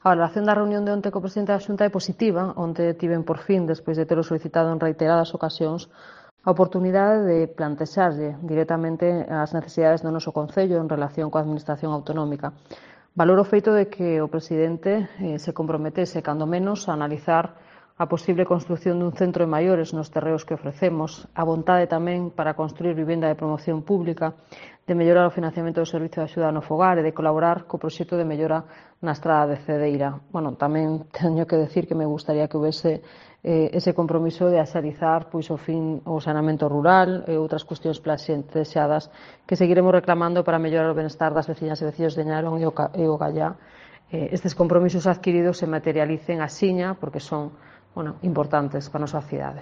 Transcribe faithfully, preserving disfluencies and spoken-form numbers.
A valoración da reunión de onte co presidente da Xunta é positiva, onte tiven por fin, despois de telo solicitado en reiteradas ocasións, a oportunidade de plantexarlle directamente as necesidades do noso Concello en relación coa Administración autonómica. Valoro o feito de que o presidente eh, se comprometese, cando menos, a analizar a posible construción dun centro de maiores nos terreos que ofrecemos, a vontade tamén para construir vivenda de promoción pública, de mellorar o financiamento do Servizo de Axuda no Fogar e de colaborar co proxecto de mellora na estrada de Cedeira. Bueno, tamén teño que decir que me gustaría que houvese eh, ese compromiso de axalizar pois, o fin o saneamento rural e outras cuestións plantexadas que seguiremos reclamando para mellorar o benestar das veciñas e veciños de Ñarón e o, e o Gallá. Eh, estes compromisos adquiridos se materialicen axiña porque son bueno, importantes para a nosa cidade.